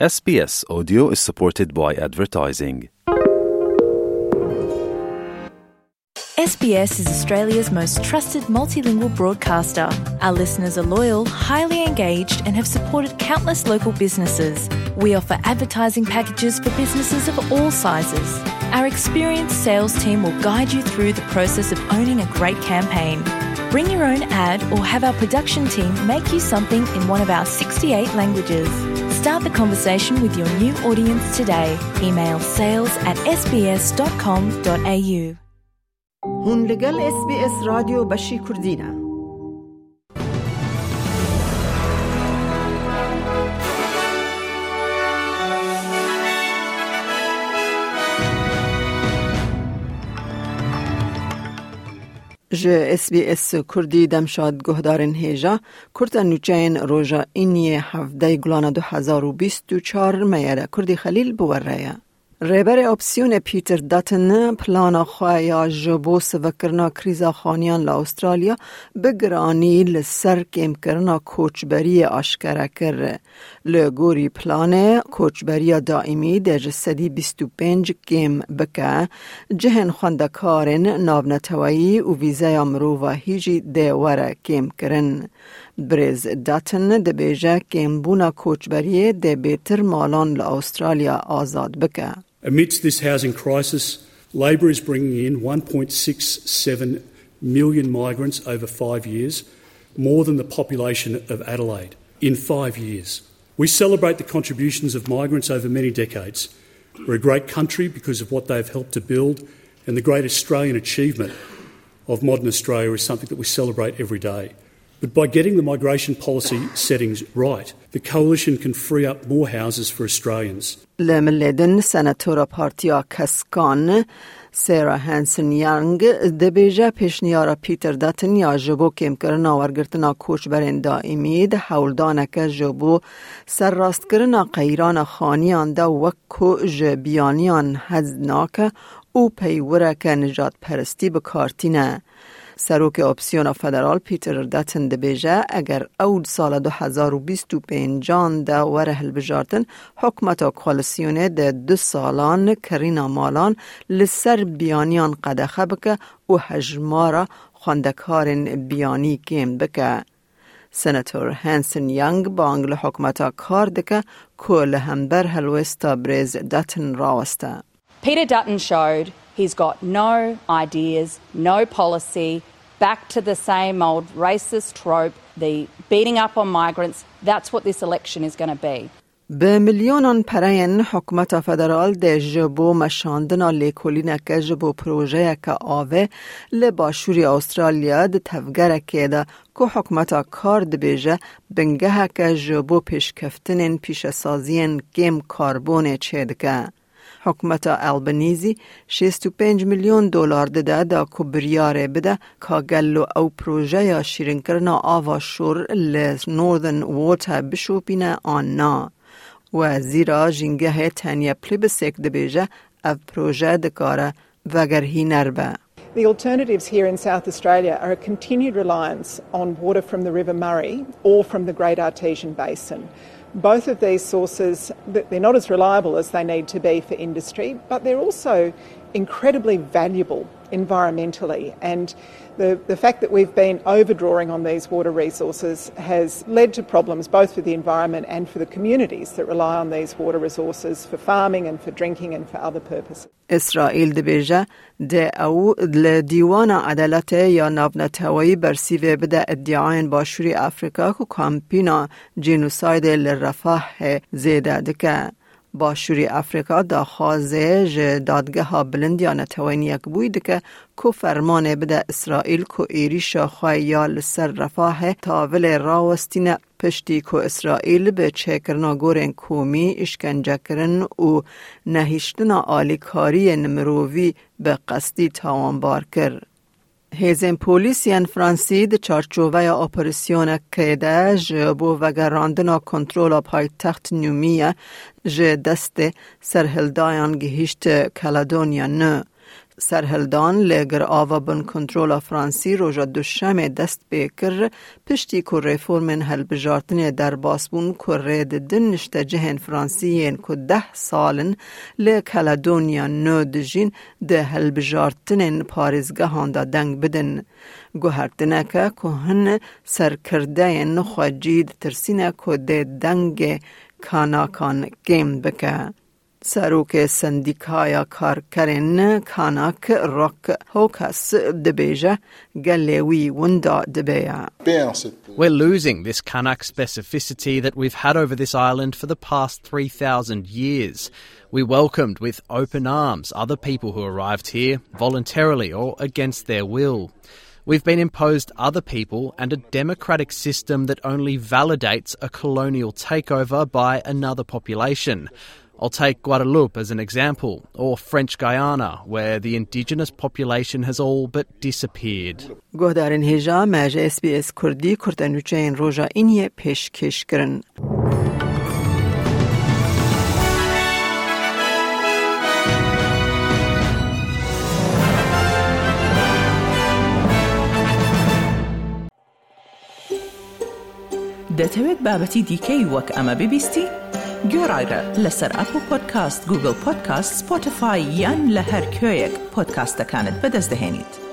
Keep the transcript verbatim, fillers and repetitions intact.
S B S Audio is supported by advertising. S B S is Australia's most trusted multilingual broadcaster. Our listeners are loyal, highly engaged, and have supported countless local businesses. We offer advertising packages for businesses of all sizes. Our experienced sales team will guide you through the process of owning a great campaign. Bring your own ad or have our production team make you something in one of our sixty-eight languages. Start the conversation with your new audience today. Email sales at S B S dot com dot A U. Hûn li gel S B S Radyo Beşî Kurdî ne. Ji S B S Kurdî demşad guhdarên hêja, kurta nûçeyên roja Îniyê hevdeh Gulana du hezar û bîst û çar me ye re Kurdî Xelîl bi we re ye. Rêberê Opsiyonê Peter Dutton plana xwe ya ji bo sivikkirina krîza xaniyan li Awustralya bi giranî li ser kêmkirina koçberiyê aşkere kir. Li gorî planê, koçberiya daîmî dê ji sedî bîst û pênc kêm bike, cihên xwendekarên navneteweyî û vîzeya mirovahî jî dê were kêmkirin. Birêz Dutton dibêje, kêmbûna koçberiyê dê bêtir malan li Awustralya azad bike. Amidst this housing crisis, Labor is bringing in one point six seven million migrants over five years, more than the population of Adelaide. In five years. We celebrate the contributions of migrants over many decades. We're a great country because of what they've helped to build, and the great Australian achievement of modern Australia is something that we celebrate every day. But by getting the migration policy settings right, the Coalition can free up more houses for Australians. Li milê din, senatora Partiya Keskan, Sarah Hanson-Young, dibêje, pêşniyara Peter Dutton ya ji bo kêmkirina wergirtina koçberên daîmî di hewldaneke ji bo serrastkirina qeyrana xaniyan de wek ku ji biyaniyan hez nake û peywireke nijadperestî bi kar tîne. Serokê Opsiyona Federal Peter Dutton dibêje, eger ew di sala du hezar û bîst û pêncan de were hilbijartin, hikûmeta koalîsyonê di du salan kirîna malan li ser biyaniyan qedexe bike û hejmara xwendekarên biyanî kêm bike. Senator Hanson Young bang li hikûmeta kar dike ku li hember helwêsta birêz Dutton raweste. Peter Dutton showed he's got no ideas, no policy, back to the same old racist trope, the beating up on migrants. That's what this election is gonna be. Bi milyonan pereyên hikûmeta federal dê ji bo meşandina lêkolîneke ji bo projeyeke avê li başûrê Awustralya di tevgerekê de ku hikûmeta kar dibêje bingeheke ji bo pêşkeftinên pîşesaziyên kêm karbonê çêdike. Hikûmeta Albanese şêst û pênc milyon dolar dide da ku biryarê bide ka gelo ew projeya şîrinkirina ava şor li Northern Water bişopîne an na. Wezîra Jîngehê Tanya Plibersek dibêje, ev proje dikare vegerhîner be. The alternatives here in South Australia are a continued reliance on water from the River Murray or from the Great Artesian Basin. Both of these sources, th- they're not as reliable as they need to be for industry, but they're also incredibly valuable environmentally. And the, the fact that we've been overdrawing on these water resources has led to problems both for the environment and for the communities that rely on these water resources for farming and for drinking and for other purposes. Îsraîl dibêje, dê ew li Dîwana Edaletê ya Navneteweyî bersîvê bide îdiayên Başûrê Afrîka ku kampîna cînosaydê li Refahê zêde dike. Başûrê Afrîka daxwazê ji Dadgeha Bilind ya Netewên Yekbûyî dike ku fermanê bide Îsraîl ku êrîşa xwe ya li ser Refahê tavilê rawestîne, piştî ku Îsraîl bi çêkirina gorên komî, îşkencekirin û nehiştina alîkariyên mirovî bi qestî tawanbar kir. Hêzên polîs yên Fransî di çarçoveya operasyonekê de ji bo vegerandina kontrola paytext Nûmiye ji destê serhildayan gihîşt Kaledonya Nû. Serhildan li Girava Bin Kontrola Fransî roja Duşemê dest pê kir, piştî ku reformên hilbijartinê derbas bûn ku rê didin niştecihên Fransî yên ku deh sal in li Kaledonya Nû dijîn di hilbijartinên parêzgehan de deng bidin. Guhertineke ku hin serkirdeyên xwecî ditirsîne ku dê dengê Kanakan kêm bike. Serokê Sendîkaya Karkerên Kanak Rock Hawkes dibêje, gelê wî winda dibe ye. We're losing this Kanak specificity that we've had over this island for the past three thousand years. We welcomed with open arms other people who arrived here voluntarily or against their will. We've been imposed other people and a democratic system that only validates a colonial takeover by another population. I'll take Guadeloupe as an example, or French Guiana, where the indigenous population has all but disappeared. Guhdarên hêja me ji S B S Kurdî kurtenûçeyên roja îniyê pêşkêş kirin. دەتەوێت بابەتی دیکەی وەک ئەمە ببیستی؟ گوێڕایرە لەسەر ئەپڵ پۆدکاست، گوگڵ پۆدکاست، سپۆتیفای یان لە هەر کوێیەک پۆدکاستەکانت بەدەست دەهێنیت.